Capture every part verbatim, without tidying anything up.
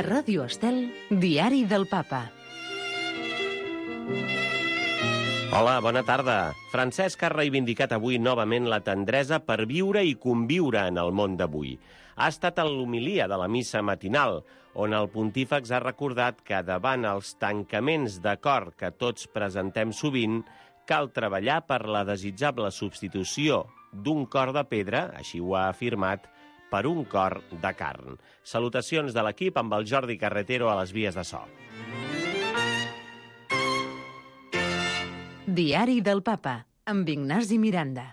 A Ràdio Estel, Diari del Papa. Hola, bona tarda. Francesc ha reivindicat avui novament la tendresa per viure i conviure en el món d'avui. Ha estat a l'homilia de la missa matinal, on el pontífex ha recordat que davant els tancaments de cor que tots presentem sovint, cal treballar per la desitjable substitució d'un cor de pedra, així ho ha afirmat, per un cor de carn. Salutacions de l'equip amb el Jordi Carretero a les vies de so. Diari del Papa, amb Ignasi Miranda.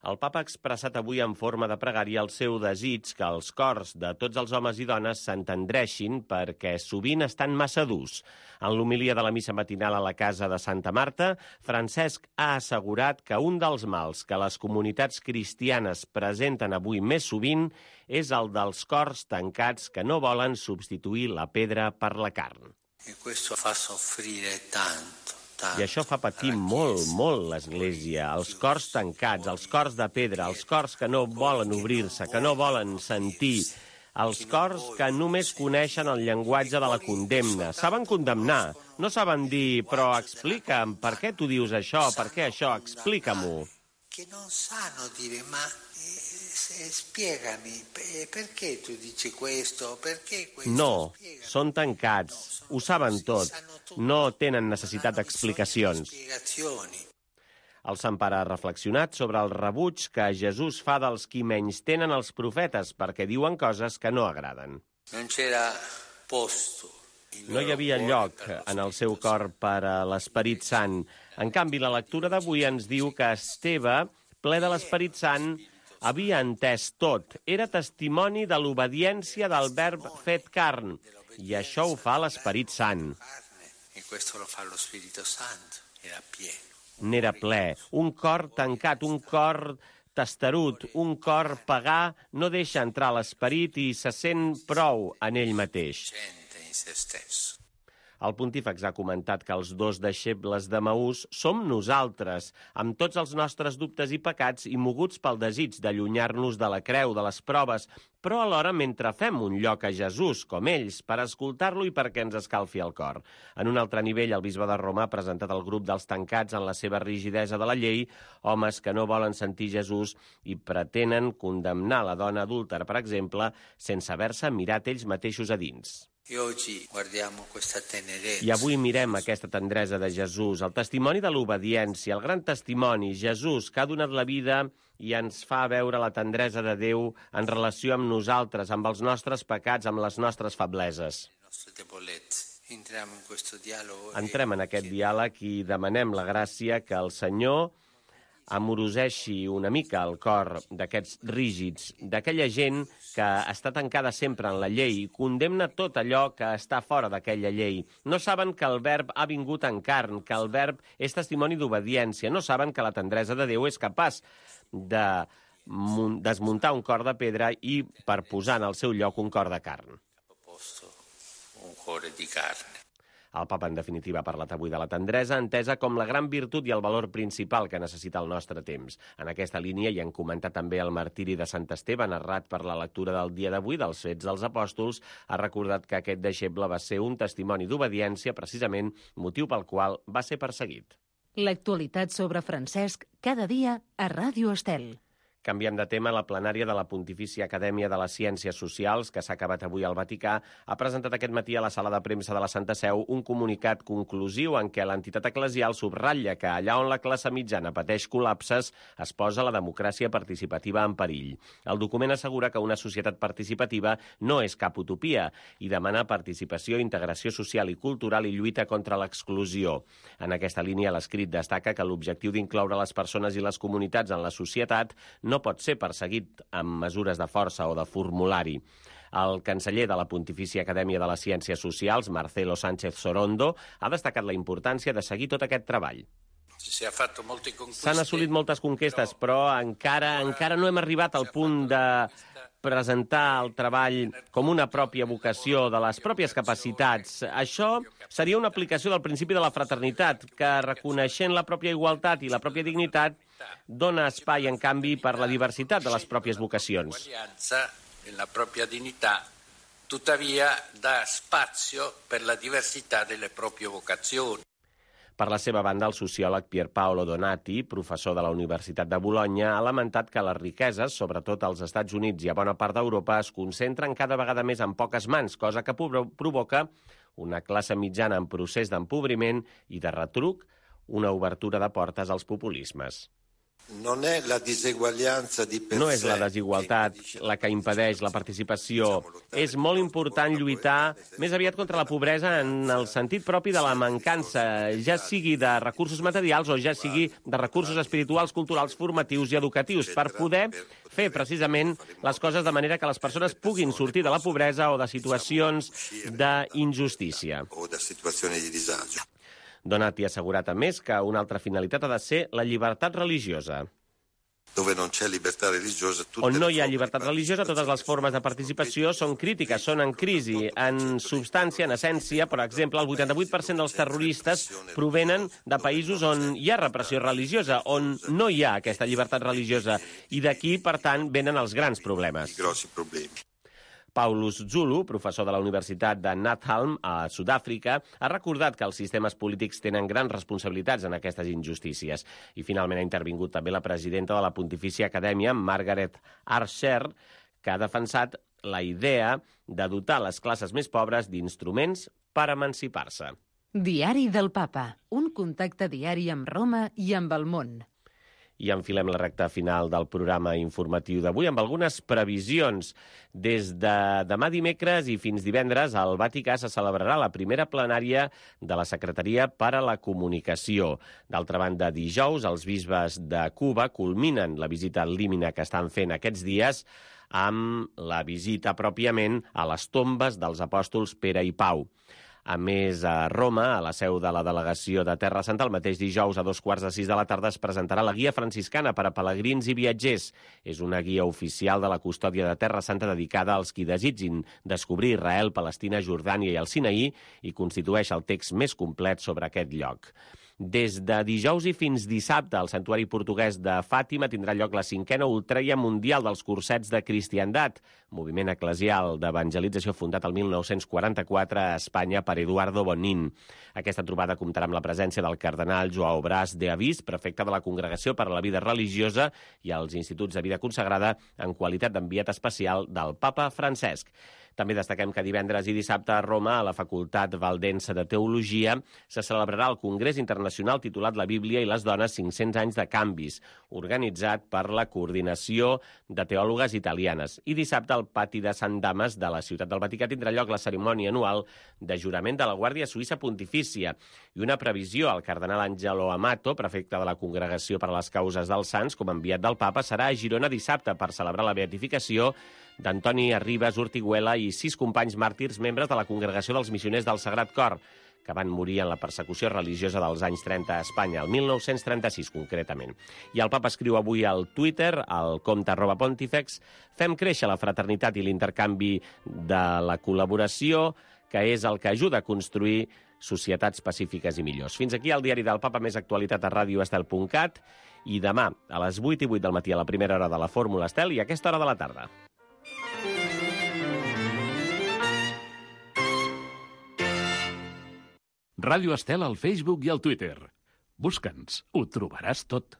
El papa ha expressat avui en forma de pregària el seu desig que els cors de tots els homes i dones s'entendreixin perquè sovint estan massa durs. En l'homilia de la missa matinal a la casa de Santa Marta, Francesc ha assegurat que un dels mals que les comunitats cristianes presenten avui més sovint és el dels cors tancats que no volen substituir la pedra per la carn. E questo fa soffrire tanto. I això fa patir molt, molt l'Església, els cors tancats, els cors de pedra, els cors que no volen obrir-se, que no volen sentir, els cors que només coneixen el llenguatge de la condemna. Saben condemnar, no saben dir, però explica'm, per què tu dius això, per què això, explica-m'ho. Que non sanno dire, ma eh, spiegami, perché tu dici questo, perché questo? No, són tancats, ho saben tot, no tenen necessitat d'explicacions. El Sant Pare ha reflexionat sobre el rebuig que Jesús fa dels qui menys tenen els profetes perquè diuen coses que no agraden. Non c'era posto. No hi havia lloc en el seu cor per a l'Esperit Sant. En canvi, la lectura d'avui ens diu que Esteve, ple de l'Esperit Sant, havia entès tot. Era testimoni de l'obediència del verb fet carn. I això ho fa l'Esperit Sant. N'era ple. Un cor tancat, un cor testarut, un cor pagà no deixa entrar l'esperit i se sent prou en ell mateix. El pontífex ha comentat que els dos deixebles de Maús som nosaltres, amb tots els nostres dubtes i pecats i moguts pel desig d'allunyar-nos de la creu, de les proves, però alhora mentre fem un lloc a Jesús, com ells, per escoltar-lo i perquè ens escalfi el cor. En un altre nivell, el bisbe de Roma ha presentat el grup dels tancats en la seva rigidesa de la llei, homes que no volen sentir Jesús i pretenen condemnar la dona adúltera, per exemple, sense haver-se mirat ells mateixos a dins. I avui mirem aquesta tendresa de Jesús, el testimoni de l'obediència, el gran testimoni, Jesús, que ha donat la vida i ens fa veure la tendresa de Déu en relació amb nosaltres, amb els nostres pecats, amb les nostres febleses. Entrem en aquest diàleg i demanem la gràcia que el Senyor amoroseixi una mica el cor d'aquests rígids, d'aquella gent que està tancada sempre en la llei i condemna tot allò que està fora d'aquella llei. No saben que el verb ha vingut en carn, que el verb és testimoni d'obediència. No saben que la tendresa de Déu és capaç de desmuntar un cor de pedra i per posar en el seu lloc un cor de carn. Un cuore di carne. El papa, en definitiva, ha parlat avui de la tendresa, entesa com la gran virtut i el valor principal que necessita el nostre temps. En aquesta línia hi han comentat també el martiri de Sant Esteve, narrat per la lectura del dia d'avui dels Fets dels Apòstols. Ha recordat que aquest deixeble va ser un testimoni d'obediència, precisament, motiu pel qual va ser perseguit. L'actualitat sobre Francesc, cada dia a Ràdio Estel. Canviem de tema. La plenària de la Pontifícia Acadèmia de les Ciències Socials, que s'ha acabat avui al Vaticà, ha presentat aquest matí a la sala de premsa de la Santa Seu un comunicat conclusiu en què l'entitat eclesial subratlla que allà on la classe mitjana pateix col·lapses es posa la democràcia participativa en perill. El document assegura que una societat participativa no és cap utopia i demana participació, integració social i cultural i lluita contra l'exclusió. En aquesta línia, l'escrit destaca que l'objectiu d'incloure les persones i les comunitats en la societat no pot ser perseguit amb mesures de força o de formulari. El canceller de la Pontifícia Acadèmia de les Ciències Socials, Marcelo Sánchez Sorondo, ha destacat la importància de seguir tot aquest treball. S'han assolit moltes conquestes, però encara encara no hem arribat al punt de presentar el treball com una pròpia vocació de les pròpies capacitats. Això seria una aplicació del principi de la fraternitat, que reconeixent la pròpia igualtat i la pròpia dignitat dona espai, en canvi, per la diversitat de les pròpies vocacions. La pròpia dignitat tuttavia dà spazio per la diversità delle proprie vocazioni. Per la seva banda, el sociòleg Pierpaolo Donati, professor de la Universitat de Bologna, ha lamentat que les riqueses, sobretot als Estats Units i a bona part d'Europa, es concentren cada vegada més en poques mans, cosa que provoca una classe mitjana en procés d'empobriment i, de retruc, una obertura de portes als populismes. No és la diseguaglianza di per No és sé la desigualtat la que impedeix la participació. És molt important lluitar més aviat contra la pobresa en el sentit propi de la mancança, ja sigui de recursos materials o ja sigui de recursos espirituals, culturals, formatius i educatius, per poder fer precisament les coses de manera que les persones puguin sortir de la pobresa o de situacions d'injustícia. o da situazioni di disagio. Donati ha assegurat, a més, que una altra finalitat ha de ser la llibertat religiosa. Dove non c'è libertà religiosa, tutte On no le hi ha forme llibertat di religiosa, totes les formes de participació són crítiques, són en crisi. En substància, en essència, per exemple, el vuitanta-vuit per cent dels terroristes provenen de països on hi ha repressió religiosa, on no hi ha aquesta llibertat religiosa. I d'aquí, per tant, venen els grans problemes. i grossi problemi. Paulus Zulu, professor de la Universitat de Nathalm, a Sud-àfrica, ha recordat que els sistemes polítics tenen grans responsabilitats en aquestes injustícies. I finalment ha intervingut també la presidenta de la Pontifícia Acadèmia, Margaret Archer, que ha defensat la idea de dotar les classes més pobres d'instruments per emancipar-se. Diari del Papa. Un contacte diari amb Roma i amb el món. I enfilem la recta final del programa informatiu d'avui amb algunes previsions. Des de demà dimecres i fins divendres al Vaticà se celebrarà la primera plenària de la Secretaria per a la Comunicació. D'altra banda, dijous, els bisbes de Cuba culminen la visita límina que estan fent aquests dies amb la visita pròpiament a les tombes dels apòstols Pere i Pau. A més, a Roma, a la seu de la delegació de Terra Santa, el mateix dijous a dos quarts de sis de la tarda es presentarà la guia franciscana per a pelegrins i viatgers. És una guia oficial de la custòdia de Terra Santa dedicada als qui desitgin descobrir Israel, Palestina, Jordània i el Sinaí i constitueix el text més complet sobre aquest lloc. Des de dijous i fins dissabte, al santuari portuguès de Fàtima tindrà lloc la cinquena ultreia mundial dels cursets de cristiandat, moviment eclesial d'evangelització fundat el mil nou-cents quaranta-quatre a Espanya per Eduardo Bonin. Aquesta trobada comptarà amb la presència del cardenal Joao Bras de Avís, prefecte de la Congregació per a la Vida Religiosa i als Instituts de Vida Consagrada en qualitat d'enviat especial del Papa Francesc. També destaquem que divendres i dissabte a Roma, a la Facultat Valdense de Teologia, se celebrarà el Congrés Internacional titulat La Bíblia i les dones cinc-cents anys de canvis, organitzat per la Coordinació de Teòlogues Italianes. I dissabte al pati de Sant Dames de la Ciutat del Vaticà tindrà lloc la cerimònia anual de jurament de la Guàrdia Suïssa Pontifícia i una previsió al cardenal Angelo Amato, prefecte de la Congregació per a les Causes dels Sants, com a enviat del Papa, serà a Girona dissabte per celebrar la beatificació d'Antoni Arribas Ortiguela i sis companys màrtirs membres de la Congregació dels Missioners del Sagrat Cor, que van morir en la persecució religiosa dels anys trenta a Espanya, el mil nou-cents trenta-sis concretament. I el Papa escriu avui al Twitter, al compte arroba Pontifex, fem créixer la fraternitat i l'intercanvi de la col·laboració, que és el que ajuda a construir societats pacífiques i millors. Fins aquí el diari del Papa, més actualitat a ràdio estel punt cat, i demà a les vuit i vuit del matí a la primera hora de la Fórmula Estel i a aquesta hora de la tarda. Ràdio Estel al Facebook i al Twitter. Busca'ns, ho trobaràs tot.